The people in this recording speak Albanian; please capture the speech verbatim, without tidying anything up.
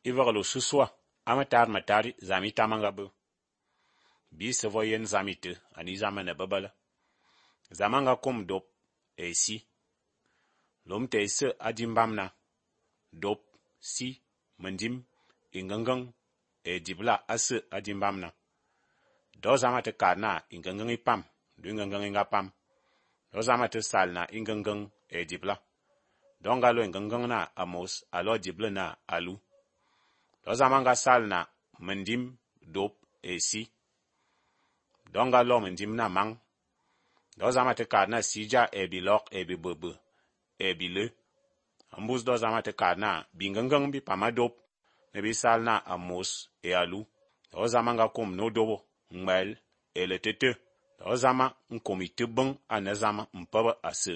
I veghle ôsusua a metad metari zame etam a nga be. Bi se vo yen zame te ane é zame a ne bebela. Zame a nga kôm dôp e si. Lôm te ese a di mbamna. Dôp, si, mendim, éngengeng e édibla ase a di mbamna. Do zame a te kad na éngengeng e pam, do éngengeng e nga pam. Do zame a te sal na éngengeng e édibla. Do a nga lo éngengeng na amos a lo édibla na alu. Do zame a nga sal na mendim, dôp e si. Do a nga lo mendim na mañ. Do zame a te kad na si dia e bilok e bibebe e bilé. Mbus do zame a te kad na bingengeng bi pam a dôp ne bi sal na amos e alu. Do zame a nga kôm nô dôbô, ñwel e letete. Do zame nkôm i te beñ ane zame mpebe ase